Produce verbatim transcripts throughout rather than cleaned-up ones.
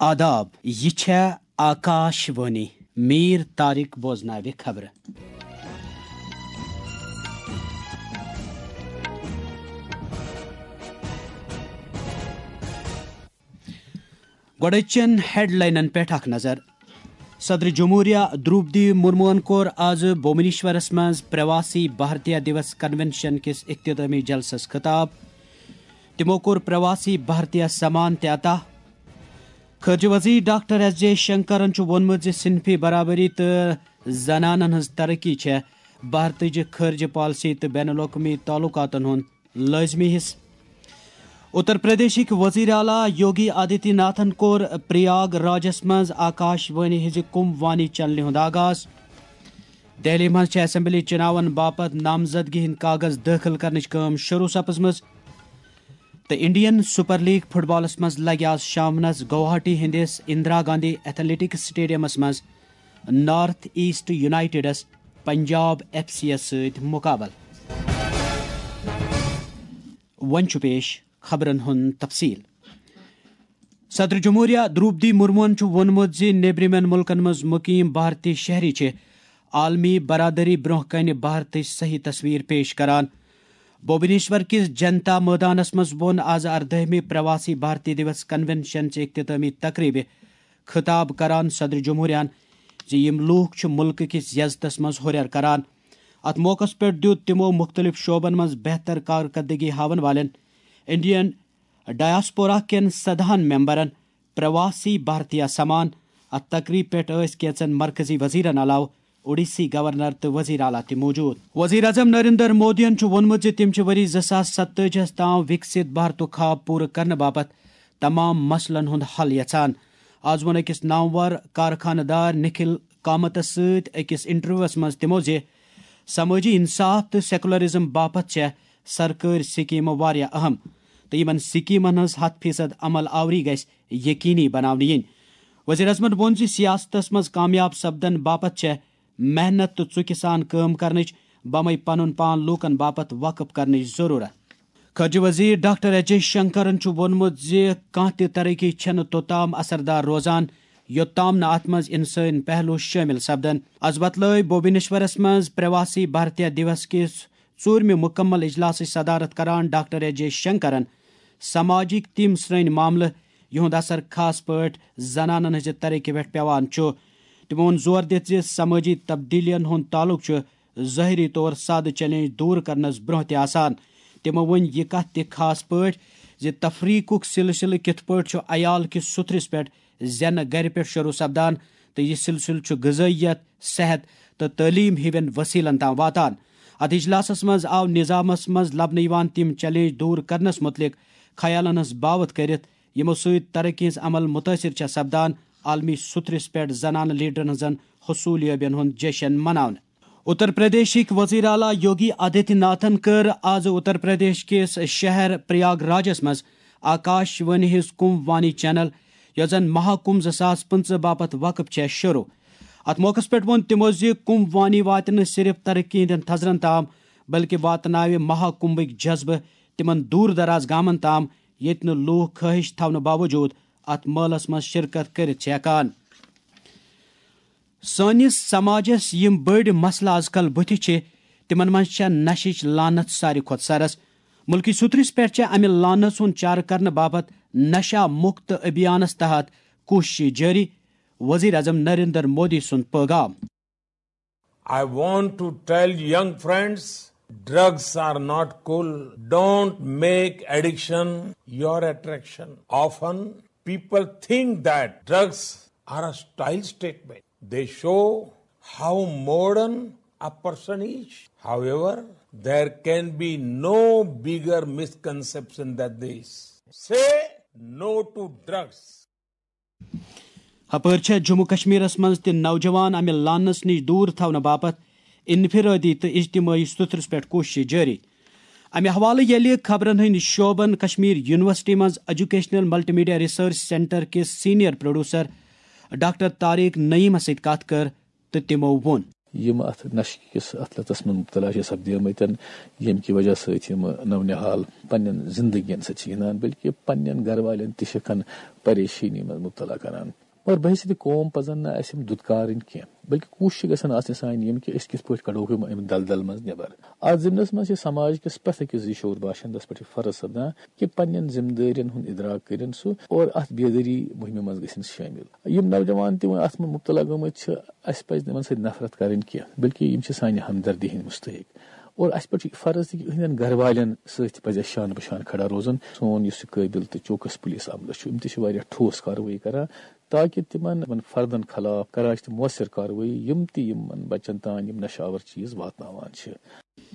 آداب، یہِ چھےٚ آکاش وانی۔ میٖر طارق بوزناوِ خبرٕ۔ گۄڈٕچن ہیڈلاینن پٮ۪ٹھ اکھ نظر۔ صدر جمہوریہ درٛوپدی مرموہن کوٚر آز بھوبنیشورس منٛز پرواسی بھارتیہ دیوس کنونشن کِس اختتامی جلسس خطاب۔ تِمو کوٚر پرواسی بھارتیہ سمان تہِ عطا۔ خارجہ وزیر ڈاکٹر ایس جے شنکرن چھُ ووٚنمُت زِ صنفی برابری تہٕ زنانن ہٕنٛز ترقی چھےٚ بھارتٕچ خارجہ پالیسی تہٕ بین الاقوٲمی تعلقاتن ہُنٛد لٲزمی حصہٕ۔ اتر پردیشٕکۍ وزیر اعلیٰ یوگی آدتیہ ناتھن کوٚر پریاگ راجس منٛز آکاش وانی ہٕنٛزِ کُمب وانی چینلہِ ہُنٛد آغاز۔ دہلی منٛز چھِ اسمبلی چُناون باپتھ نامزدگی ہٕنٛدۍ کاغذ دٲخل کرنٕچ کٲم شروٗع سپٕزمٕژ۔ تہٕ انڈین سپر لیگ فٹ بالس منٛز لگہِ آز شامنس گوہاٹی ہٕنٛدِس اندرا گاندھی ایتھلیٹکس سٹیڈیمس منٛز نارتھ ایسٹ یونائیٹڈس پنجاب ایف سی یس سۭتۍ مقابلہٕ۔ وۄنۍ چھُ پیش خبرن ہُنٛد تفصیل۔ صدر جمہوریہ درٛوپدی مرموہن چھُ ووٚنمُت زِ نیبرِمٮ۪ن مُلکن منٛز مُقیم بھارتی شہری چھِ عالمی برادری برٛونٛہہ کنہِ بھارتٕچ صحیح تصویر پیش کران۔ بھوبنیشور کِس جنتا مٲدانس منٛز ووٚن آز اردٲہمہِ پرواسی بھارتی دیوس کنونشن چہِ اختتامی تقریبہِ خطاب کران صدر جمہوریہن زِ یِم لوٗکھ چھِ مُلکہٕ کِس عزتس منٛز ہُرٮ۪ر کران۔ اتھ موقعس پٮ۪ٹھ دیُت تِمو مُختٔلِف شعبن منٛز بہتر کارکردگی ہاون والٮ۪ن انڈین ڈایاسپورا کٮ۪ن سدہن ممبرن پرواسی بھارتیہ سمان۔ اتھ تقریب پٮ۪ٹھ ٲسۍ کینژن مرکزی وزیرن علاوٕ اوڈیسی گورنر تہٕ وزیر اعلیٰ تہِ موجود۔ وزیر اعظم نریندر مودیَن چھُ ووٚنمُت زِ تِم چھِ ؤری زٕ ساس ستٲجی ہَس تام وِکسِت بھارتُک خواب پوٗرٕ کرنہٕ باپتھ تمام مسلن ہُنٛد حل یژھان۔ آز ووٚن أکِس نامور کارخانہٕ دار نکھل کامتَس سۭتۍ أکِس انٹرویوَس منٛز تِمو زِ سمٲجی انصاف تہٕ سیکولرزم باپتھ چھےٚ سرکٲرۍ سکیمہٕ واریاہ اہم تہٕ یِمن سکیمن ہٕنٛز ہتھ فیصد عمل آوری گژھِ یقینی بناونہٕ یِنۍ۔ وزیر اعظمن ووٚن زِ سیاستس منٛز کامیاب سپدن باپتھ چھےٚ محنت تہٕ ژُکہِ سان کٲم کرنٕچ، بمے پنُن پان لوٗکن باپتھ وقف کرنٕچ ضروٗرت۔ خارجہ وزیر ڈاکٹر ایس جے شنکرن چھُ ووٚنمُت زِ کانٛہہ تہِ ترقی چھَنہٕ توٚتام اثردار روزان، یوٚتام نہٕ اتھ منٛز انسٲنی پہلو شٲمِل سپدن۔ از وۄتلٲوۍ بھوبنیشورس منٛز پرواسی بھارتیہ دیوس کِس ژوٗرمہِ مُکمل اجلاسٕچ صدارت کران ڈاکٹر ایس جے شنکرن سماجٕکۍ تِم سرٛنۍ معاملہٕ، یِہُنٛد اثر خاص پٲٹھۍ زنانن ہٕنٛزِ ترقی پٮ۪ٹھ پٮ۪وان چھُ۔ تِمو ووٚن زور دِتھ زِ سمٲجی تبدیلیَن ہُنٛد تعلق چھُ ظٲہری طور سادٕ چیلنج دور کرنس برٛونٛہہ تہِ آسان۔ تِمو ؤنۍ یہِ کتھ تہِ خاص پٲٹھۍ زِ تفریقُک سلسلہٕ کِتھ پٲٹھۍ چھُ عیال کِس سُتھرِس پٮ۪ٹھ زینہٕ گرِ پٮ۪ٹھ شروع سپدان تہٕ یہِ سلسلہٕ چھُ غذٲیت، صحت تہٕ تعلیم ہِوٮ۪ن وسیلن تام واتان۔ اتھ اجلاسس منٛز آو نظامس منٛز لبنہٕ یِوان تِم چیلنج دور کرنس متعلق خیالن ہٕنٛز باوتھ کٔرِتھ، یِمو سۭتۍ ترقی ہٕنٛز عمل متٲثر چھےٚ سپدان۔ عالمی سُتھرِس پٮ۪ٹھ زنانہٕ لیڈرن ہٕنٛزن حصولیابین ہُنٛد جشن مناونہٕ۔ اتر پردیشٕکۍ وزیر اعلیٰ یوگی آدتیہ ناتھن کٔر آز اتر پردیش کِس شہر پریاگ راجس منٛز آکاش وانی ہٕنٛز کُمب وانی چینل، یۄس زن مہا کُمب زٕ ساس پٕنٛژٕہ باپتھ وقف چھےٚ، شروع۔ اتھ موقعس پٮ۪ٹھ ووٚن تِمو زِ کُمب وانی واتہِ نہٕ صرف ترقی ہٕنٛدٮ۪ن تھزرن تام، بلکہِ واتناوِ مہا کُمبٕکۍ جذبہٕ تِمن دوٗر دراز گامن تام، ییٚتہِ نہٕ لوٗکھ خٲہِش تھاونہٕ باوجوٗد اتھ مٲلس منٛز شرکت کٔرِتھ چھِ ہٮ۪کان۔ سٲنِس سماجس یِم بٔڑۍ مسلہٕ از کل بُتھِ چھِ، تِمن منٛز چھےٚ نشٕچ لعنت ساروی کھۄتہٕ سرس۔ مُلکی سُترِس پٮ۪ٹھ چھےٚ امہِ لعنت ہُنٛد چارٕ کرنہٕ باپتھ نشہ مُکت ابھیانس تحت کوٗششہٕ جٲری۔ وزیر اعظم نریندر مودی سُنٛد پٲغام۔ I want to tell young friends, drugs are not cool. Don't make addiction your attraction. Often, people think that drugs are a style statement. They show how modern a person is. However, there can be no bigger misconception than this. Say no to drugs. ہپٲرۍ چھےٚ جموں کشمیرس منٛز تہِ نوجوان امہِ لعنس نِش دوٗر تھاونہٕ باپتھ انفرادی تہٕ اجتمٲعی سُترس پٮ۪ٹھ کوٗششہٕ جٲری۔ امہِ حوالہٕ ییٚلہِ خبرن ہٕنٛدۍ شعبن کشمیر یونیورسٹی منٛز educational multi media research centre کِس سینئر پروڈیوسر ڈاکٹر طارق نعیمس سۭتۍ کتھ کٔر تہٕ تِمو ووٚن۔ یِم اَتھ نشہٕ کِس اَتھ لَتَس منٛز مُبتلا چھِ سپدیمٕتۍ، ییٚمہِ کہِ وجہ سۭتۍ یِم نو نِہال پننٮ۪ن زندگین سۭتۍ چھِ گِنٛدان، بلکہِ پننٮ۪ن گرٕ والٮ۪ن تہِ چھِ کھن پریشٲنی منٛز مُبتلا کران۔ مگر بحیثیت قوم پزن نہٕ اَسہِ یِم دُتکارٕنۍ کینٛہہ، بلکہِ کوٗشش گژھن آسنہِ سانہِ یِم کہِ أسۍ کِتھ پٲٹھۍ کڑوکھ یِم اَمہِ دلدل منٛز نٮ۪بر۔ اَتھ ضِمنس منٛز چھِ سماج کِس پرٛٮ۪تھ أکِس زِ شعور باشندس پٮ۪ٹھ یہِ فرض سپدان کہِ پننٮ۪ن ذمہٕ دٲرین ہُنٛد ادراک کٔرِن سُہ اور اَتھ بیدٲری مُہِمہِ منٛز گژھن شٲمِل۔ یِم نوجوان تہِ وۄنۍ اَتھ منٛز مُبتلا گٔمٕتۍ چھِ، اَسہِ پَزِ تِمَن سۭتۍ نفرت کَرٕنۍ کینٛہہ، بلکہِ یِم چھِ سانہِ ہمدردی ہٕنٛدۍ مُستحق۔ اور اَسہِ پٮ۪ٹھ چھُ یہِ فرض تہِ کہِ یِہٕنٛدٮ۪ن گَرٕ والٮ۪ن سۭتۍ تہِ پَزِ اَسہِ شانہٕ بہٕ شانہٕ کھڑا روزُن۔ سون یُس یہِ قٲبِل تہٕ چوکَس پُلیٖس عملہٕ چھُ، یِم تہِ چھِ واریاہ ٹھوس کاروٲیی کَران، تاکہِ تِمَن، یِمَن فردَن خلاف کَران چھِ تِم مؤثر کاروٲیی، یِم تہِ یِمَن بَچَن تام یِم نشہٕ آور چیٖز واتناوان چھِ۔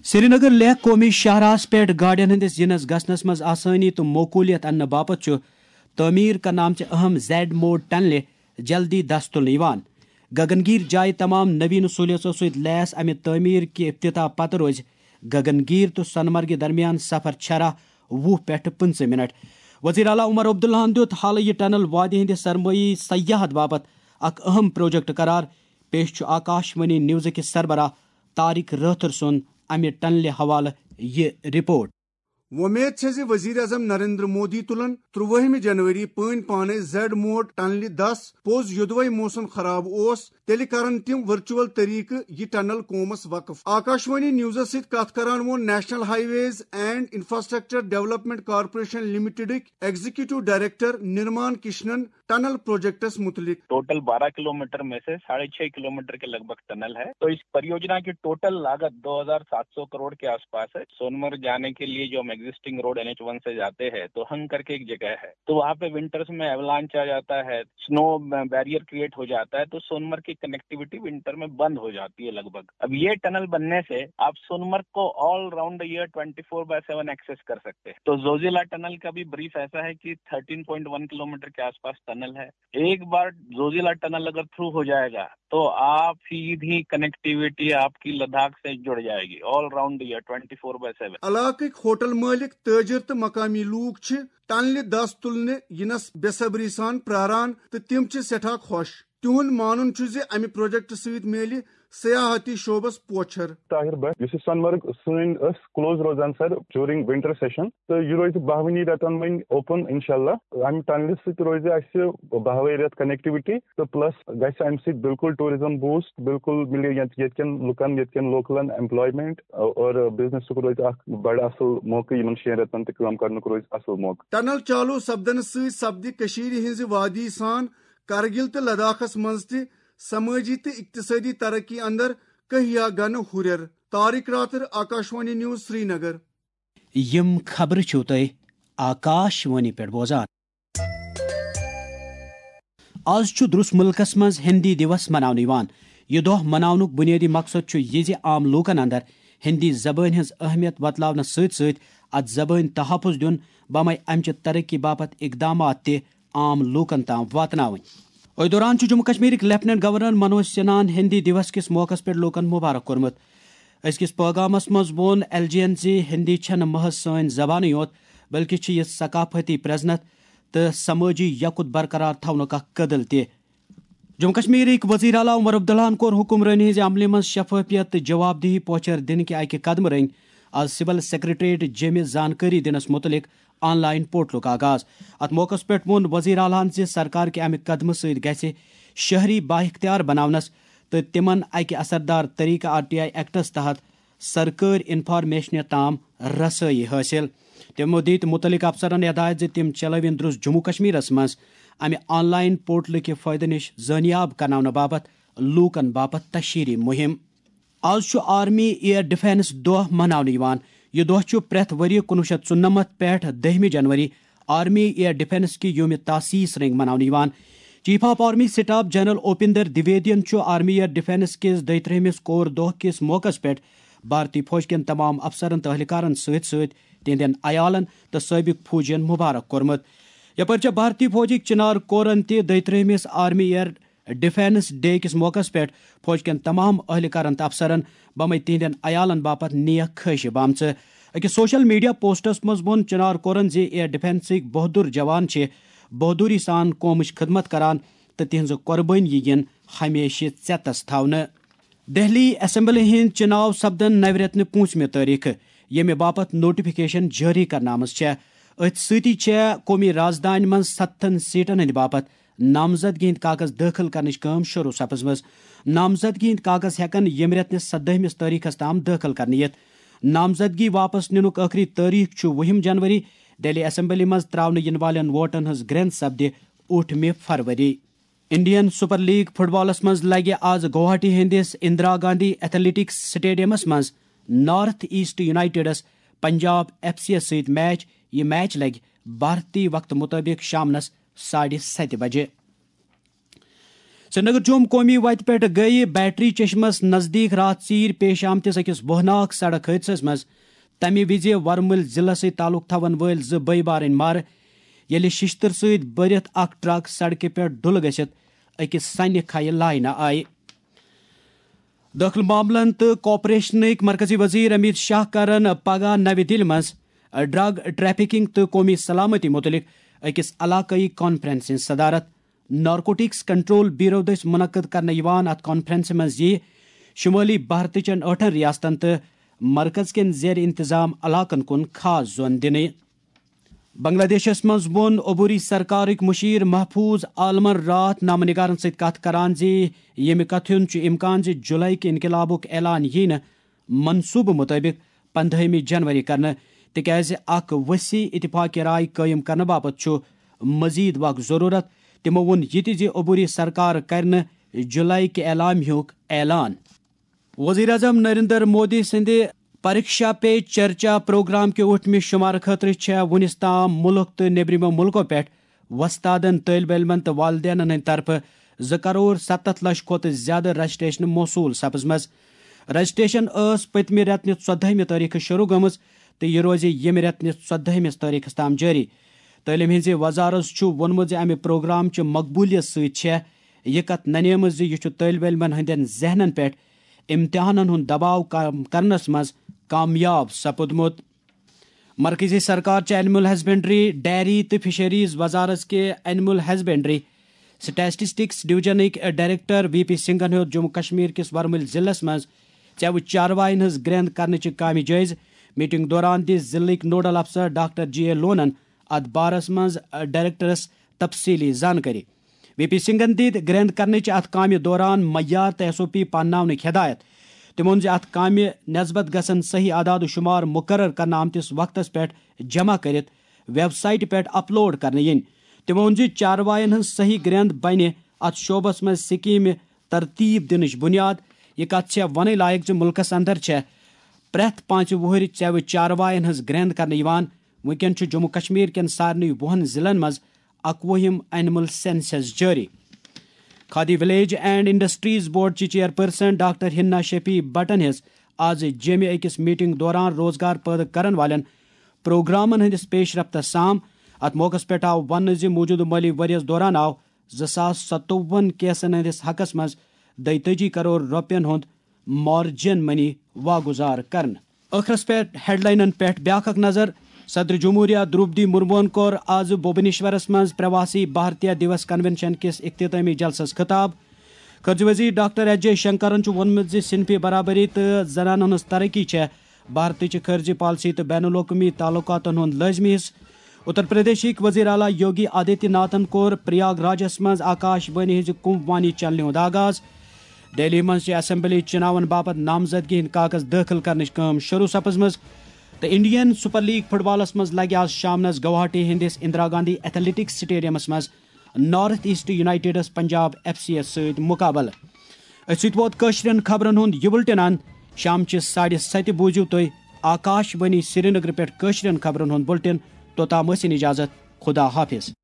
سرینگر لیہہ قومی شاہراہس پٮ۪ٹھ گاڑٮ۪ن ہٕنٛدِس یِنس گژھنس منٛز آسٲنی تہٕ موقولیت اننہٕ باپتھ چھُ تعمیٖر کرنہٕ آمژِ اہم زیڈ موڈ ٹنلہِ جلدی دس تُلنہٕ یِوان۔ گگنگیر جایہِ تمام نوین سہولیژو سۭتۍ لیس امہِ تعمیٖر کہِ افتتاح پتہٕ روزِ گگنگیر تہٕ سونمرگہِ درمیان سفر شرح وُہ پٮ۪ٹھٕ پٕنٛژٕہ منٹ۔ وزیر اعلیٰ عمر عبداللہن دیُت حالہٕ یہِ ٹنل وادی ہٕنٛدِ سرمٲیی سیاحت باپتھ اکھ اہم پروجیکٹ قرار۔ پیش چھُ آکاش وانی نیوزٕکہِ سربراہ طارق رٲتھر سُنٛد امہِ ٹنلہِ حوالہٕ یہِ رپورٹ۔ وۄمید چھےٚ زِ وزیر اعظم نریندر مودی تُلن ترٛوٲہمہِ جنوری پٲنۍ پانے زیڈ موڈ ٹنلہِ دس پوٚز۔ یوٚدوے موسم خراب اوس، تیٚلہِ کرن تِم ورچوئل طریقہٕ یہِ ٹنل قومس وقف۔ آکاشوانی نیوزس سۭتۍ کتھ کران ووٚن national high ways and infrastructure development corporation لمیٹڈٕکۍ executive director نرمان کشنن tunnel projects متعلق۔ ٹوٹل بارہ کلومیٹر میں سے ساڑھے چھ کلومیٹر کے لگ بھگ ٹنل ہے، تو اس परियोजना की टोटल लागत दो हज़ार सात सौ करोड़ के आसपास है। सोनमर्ग जाने के लिए जो हम एग्जिस्टिंग रोड एनएच वन से जाते हैं, तो हंग करके एक जगह है, तो वहाँ पे विंटर्स में एवलांच आ जाता है, स्नो बैरियर क्रिएट हो जाता है, तो सोनमर्ग की कनेक्टिविटी विंटर में बंद हो जाती है लगभग। अब ये टनल बनने से आप सोनमर्ग को all round year twenty four by seven access कर सकते हैं। तो जोजिला टनल का भी ब्रीफ ऐसा है कि थर्टीन पॉइंट वन किलोमीटर के आसपास टनल है। एक बार जोजिला टनल अगर थ्रू हो जाएगा, तो आप सीधी कनेक्टिविटी आपकी लद्दाख से जुड़ जाएगी all round year twenty four by seven. علاقٕکۍ ہوٹل مٲلِک، تٲجر تہٕ مقٲمی لوٗکھ چھِ ٹنلہِ دس تُلنہٕ یِنس بے صبری سان پراران تہٕ تِم چھِ سٮ۪ٹھاہ خۄش۔ تِہُنٛد مانُن چھُ زِ امہِ پروجیکٹ سۭتۍ میلہِ سیاحتی شعبس پوچھر۔ طاہر بٹ، یُس یہِ سۄنہٕ مرگ سٲنۍ ٲس کلوز روزان سر ڈیورنگ ونٹر سیشن، تہٕ یہِ روزِ باہوٕنی رٮ۪تن وۄنۍ اوپن انشاءاللہ۔ امہِ ٹنلہِ سۭتۍ روزِ اسہِ باہوے رٮ۪تھ کنیکٹیوٹی تہٕ پلس گژھِ امہِ سۭتۍ بالکل ٹورازم بوسٹ، بالکل مِلہِ ییٚتہِ، ییٚتہِ کٮ۪ن لُکن، ییٚتہِ کٮ۪ن لوکلن ایمپلایمنٹ اور بزنسُک روزِ اکھ بڑٕ اصل موقعہٕ، یِمن شٮ۪ن رٮ۪تن تہِ کٲم کرنُک روزِ اصل موقعہٕ۔ ٹنل چالو سپدنہٕ سۭتۍ سپدِ کٔشیٖرِ ہٕنٛزِ وادی سان کرگِل تہٕ لداخس منٛز تہِ سمٲجی تہٕ اقتصٲدی ترقی اندر کہیا گنہٕ ہُرٮ۪ر۔ طارق راتھر، آکاشوانی نیوز، سرینگر۔ یِم خبرٕ چھِو تُہۍ آکاشوانی پٮ۪ٹھ بوزان۔ آز چھُ درُس مُلکس منٛز ہِندی دیوس مناونہٕ یِوان۔ یہِ دۄہ مناونُک بُنیٲدی مقصد چھُ یہِ زِ عام لوٗکن اندر ہِندی زبٲنۍ ہٕنٛز اہمیت وۄتلاونس سۭتۍ سۭتۍ اتھ زبٲنۍ تحفظ دیُن، بمے امچہِ ترقی باپتھ اقدامات تہِ عام لوٗکن تام واتناوٕنۍ۔ أتھۍ دوران چھُ جموں کشمیرٕکۍ لیفٹیننٹ گورنر منوج سنہاہن ہِندی دیوس کِس موقعس پٮ۪ٹھ لوٗکن مبارک کوٚرمُت۔ أزکِس پٲغامس منٛز ووٚن ایل جی یَن زِ ہِندی چھَنہٕ محض سٲنۍ زبانٕے یوت، بلکہِ چھِ یہِ ثقافتی پرٛزنتھ تہٕ سمٲجی یکُت برقرار تھاونُک اکھ کٔدٕل تہِ۔ جموں کشمیرٕکۍ وزیر اعلیٰ عمر عبداللہن کوٚر حکمرٲنی ہٕنٛزِ عملہِ منٛز شفافیت تہٕ جواب دہی پوچھر دِنہٕ کہِ اکہِ قدمہٕ رٔنگۍ آز سول سیکرٹریٹ جیٚمہِ زانکٲری دِنس مُتعلق آن لائن پورٹلُک آغاز۔ اتھ موقعس پٮ۪ٹھ ووٚن وزیر اعلیٰ ہن زِ سرکار کہِ امہِ قدمہٕ سۭتۍ گژھِ شہری بااختیار بناونس تہٕ تِمن اکہِ اثردار طریقہٕ آر ٹی آئی ایکٹس تحت سرکٲرۍ انفارمیشنہِ تام رسٲیی حٲصِل۔ تِمو دِتۍ مُتعلقہٕ افسرن ہدایت زِ تِم چلٲوِن درُس جموں کشمیرس منٛز امہِ آن لائن پورٹلٕکہِ فٲیدٕ نِش زٲنیاب کرناونہٕ باپتھ لوٗکن باپتھ تشہیری مُہِم۔ آز چھُ آرمی ایئر ڈیفنس دۄہ مناونہٕ یِوان۔ یہِ دۄہ چھُ پرٛٮ۪تھ ؤرۍ یہِ کُنوُہ شیٚتھ ژُنَمَتھ پٮ۪ٹھ دٔہمہِ جنوری آرمی ایئر ڈیفنس کہِ یومِ تاسیس رٔنگۍ مناونہٕ یِوان۔ Chief of army staff general Upendra دویدین چھُ آرمی ایئر ڈیفنس کِس دۄیہِ ترٛہمِس کور دۄہ کِس موقعس پٮ۪ٹھ بھارتی فوج کٮ۪ن تمام افسرن تہٕ اہلکارن سۭتۍ سۭتۍ تِہنٛدٮ۪ن عیالن تہٕ سٲبق فوجین مبارک کوٚرمُت۔ یپٲرۍ چھےٚ بھارتی فوجٕکۍ چنار کورن تہِ دۄیہِ ترٛہمِس آرمی ایئر ڈیفنس ڈے کِس موقعس پٮ۪ٹھ فوج کٮ۪ن تمام اہلکارن تہٕ افسرن بمے تِہنٛدٮ۪ن عیالن باپتھ نیک خٲہشہِ بامژٕ۔ أکِس سوشل میڈیا پوسٹس منٛز ووٚن چنار کورن زِ ایئر ڈیفنسٕکۍ بہادر جوان چھِ بہادری سان قومٕچ خدمت کران تہٕ تِہنٛزٕ قربٲنی یِن ہمیشہِ ژیتس تھاونہٕ۔ دہلی اسمبلی ہٕنٛدۍ چناو سپدن نوِ رٮ۪تنہٕ پوٗنٛژمہِ تٲریخہٕ، ییٚمہِ باپتھ نوٹیفکیشن جٲری کرنہٕ آمٕژ چھےٚ۔ أتھۍ سۭتی چھےٚ قومی رازدانہِ منٛز ستتھن سیٹن ہٕنٛدِ باپتھ نامزدگی ہٕنٛدۍ کاغذ دٲخل کرنٕچ کٲم شروع سپٕزمٕژ۔ نامزدگی ہٕنٛدۍ کاغذ ہٮ۪کن ییٚمہِ رٮ۪تنہٕ سدٲہمِس تٲریخس تام دٲخل کرنہٕ یِتھ۔ نامزدگی واپس نِنُک ٲخری تٲریخ چھُ وُہِم جنوری۔ دہلی اسمبلی منٛز تراونہٕ یِنہٕ والٮ۪ن ووٹن ہٕنٛز گرٛنٛد سپدِ ٲٹھمہِ فروری۔ انڈین سپر لیگ فٹ بالس منٛز لگہِ آز گوہاٹی ہٕنٛدِس اندرا گاندھی ایتھلیٹکس سٹیڈیمس منٛز نارتھ ایسٹ یونائیٹڈس پنجاب ایف سی یس سۭتۍ میچ۔ یہِ میچ لگہِ بھارتی وقتہٕ مُطٲبِق شامنس ساڑِ ستہِ بجہِ۔ سرینگر جوم قومی وتہِ پٮ۪ٹھ گٔیہِ بیٹری چشمس نزدیٖک راتھ ژیٖرۍ پیش آمتِس أکِس وۄہناک سڑک حٲدثس منٛز تمہِ وِزِ ورمُلۍ ضلعس سۭتۍ تعلق تھاون وٲلۍ زٕ بٲے بارٕنۍ مارٕ، ییٚلہِ ششتٕر سۭتۍ بٔرِتھ اکھ ٹرک سڑکہِ پٮ۪ٹھ ڈُلہٕ گٔژھِتھ أکِس سنہِ کھیہِ لاینہٕ آیہِ۔ دٲخلہٕ معاملن تہٕ کوآپریشنٕکۍ مرکزی وزیر امیت شاہ کرن پگاہ نوِ دِلہِ منٛز ڈرگ ٹریفکنگ تہٕ قومی سلامتی مُتعلق أکِس علاقٲیی کانفرنس ہٕنٛز صدارت۔ نارکوٹکس کنٹرول بیورو دٔسۍ منعقد کرنہٕ یِوان اتھ کانفرنسہِ منٛز یِیہِ شمٲلی بھارتٕچن ٲٹھن ریاستن تہٕ مرکز کٮ۪ن زیر انتظام علاقن کُن خاص زون دِنہٕ۔ بنگلہ دیشس منٛز ووٚن عبوری سرکارٕکۍ مشیر محفوظ عالمن راتھ نامہ نگارن سۭتۍ کتھ کران زِ ییٚمہِ کتھِ ہُنٛد چھُ امکان زِ جولائی کہِ انقلابُک اعلان ییہِ نہٕ منصوبہٕ مُطٲبِق پندہٲہمہِ جنوری کرنہٕ، تِکیازِ اکھ وسیع اتفاق رائے قٲیِم کرنہٕ باپتھ چھُ مزید وقت ضروٗرت۔ تِمو ووٚن یہِ تہِ زِ عبوری سرکار کرِ نہٕ جولائی کہِ اعلان ہُک اعلان۔ وزیر اعظم نریندر مودی سٕنٛدِ پریکشا پے چرچا پروگرام کہِ ٲٹھمہِ شمارٕ خٲطرٕ چھےٚ وُنِس تام مُلک تہٕ نیبرِمو مُلکو پٮ۪ٹھ وۄستادن، طٲلب علمن تہٕ والدینن ہٕنٛدِ طرفہٕ زٕ کرور ستتھ لچھ کھۄتہٕ زیادٕ رجسٹریشن موصول سپٕزمٕژ۔ رجسٹریشن ٲس پٔتمہِ رٮ۪تہٕ نہِ ژۄدہمہِ تٲریخہٕ شروع گٔمٕژ تہٕ یہِ روزِ ییٚمہِ رٮ۪تہٕ نہِ ژۄدہمہِ تٲریخس تام جٲری۔ تعلیم ہٕنٛزِ وزارت چھُ ووٚنمُت زِ امہِ پروگرام چہِ مقبولیت سۭتۍ چھےٚ یہِ کتھ ننیمٕژ زِ یہِ چھُ طٲلب علمن ہٕنٛدٮ۪ن ذہنن پٮ۪ٹھ امتحانن ہُنٛد دباو کم کرنس منٛز کامیاب سپُدمُت۔ مرکزی سرکار چہِ اینیمل ہسبنڈری، ڈیری تہٕ فشریز وزارت کہِ اینیمل ہسبنڈری سٹیٹسٹکس ڈویژنٕکۍ ڈائریکٹر وی پی سنگھن ہیوٚت جموں کشمیر کِس ورمُلۍ ضلعس منٛز ژٮ۪وٕ چاروایَن ہٕنٛز گرٛنٛد کرنٕچہِ کامہِ جٲیزٕ۔ میٹنگ دوران دِژ ضلعٕکۍ نوڈل افسر ڈاکٹر جی اے لونن اتھ بارس منٛز ڈائریکٹرس تفصیلی زانکٲری۔ وی پی سنگھن دِتۍ گرٛنٛد کرنٕچہِ اتھ کامہِ دوران معیار تہٕ ایس او پی پانناونٕکۍ ہدایت۔ تِمو ووٚن زِ اتھ کامہِ نسبت گژھن صحیح اعداد و شمار مقرر کرنہٕ آمتِس وقتس پٮ۪ٹھ جمع کٔرِتھ ویب سائٹہِ پٮ۪ٹھ اپلوڈ کرنہٕ یِنۍ۔ تِمو ووٚن زِ چاروایَن ہٕنٛز صحیح گرٛنٛد بنہِ اتھ شعبس منٛز سکیمہِ ترتیب دِنٕچ بنیاد۔ یہِ کتھ چھےٚ ونٕنۍ لایق زِ مُلکس اندر چھےٚ پرٛٮ۪تھ پانٛژِ وُہٕرۍ ژٮ۪وٕ چاروایَن ہٕنٛز گرٛنٛد کرنہٕ یِوان۔ وٕنکٮ۪ن چھُ جموں کشمیر کٮ۪ن سارنٕے وُہن ضلعن منٛز اکوُہِم اینیمل سینسس جٲری۔ Khadi village and industries board چہِ چیئرپرسن ڈاکٹر ہنا شفیع بٹن ہیٚژ آز جیمہِ أکِس میٹنگ دوران روزگار پٲدٕ کرن والٮ۪ن پروگرامن ہٕنٛدِس پیش رفتس سام۔ اتھ موقعس پٮ۪ٹھ آو وننہٕ زِ موٗجوٗدٕ مٲلی ؤریَس دوران آو زٕ ساس ستووُہن کیسن ہٕنٛدِس حقس منٛز دۄیتٲجی کرور رۄپین ہُنٛد مارجن منی واگُزار کرنہٕ۔ ٲخرس پٮ۪ٹھ ہیڈلاینن پٮ۪ٹھ بیاکھ اکھ نظر۔ صدر جمہوریہ درٛوپدی مرموہن کوٚر آز بھوبنیشورس منٛز پرواسی بھارتیہ دیوس کنونشن کِس اختتامی جلسس خطاب۔ خارجہ وزیر ڈاکٹر ایس جے شنکرن چھُ ووٚنمُت زِ صنفی برابری تہٕ زنانن ہٕنٛز ترقی چھےٚ بھارتٕچ خارجہ پالیسی تہٕ بین الاقوٲمی تعلقاتن ہُنٛد لٲزمی حصہٕ۔ اتر پردیشٕکۍ وزیر اعلیٰ یوگی آدتیہ ناتھن کوٚر پریاگ راجس منٛز آکاش وانی ہٕنٛزِ کُمب وانی چینلہِ ہُنٛد آغاز۔ دہلی منٛز چھِ اسمبلی چُناون باپتھ نامزدگی ہٕنٛدۍ کاغذ دٲخل کرنٕچ کٲم شروع سپٕزمٕژ تہٕ انڈین سپر لیگ فٹ بالس منٛز لگہِ آز شامنس گوہاٹی ہٕنٛدِس اندرا گاندھی ایتھلیٹکس سٹیڈیمس منٛز نارتھ ایسٹ یونائیٹڈس پنجاب ایف سی یس سۭتۍ مقابلہٕ۔ أتھۍ سۭتۍ ووت کٲشرٮ۪ن خبرن ہُنٛد یہِ بُلٹن اند۔ شام چہِ ساڑِ ستہِ بوٗزِو تُہۍ آکاش وانی سرینگر پٮ۪ٹھ کٲشرٮ۪ن خبرن ہُنٛد بُلٹن۔ توٚتام ٲسِن اجازت۔ خدا حافظ۔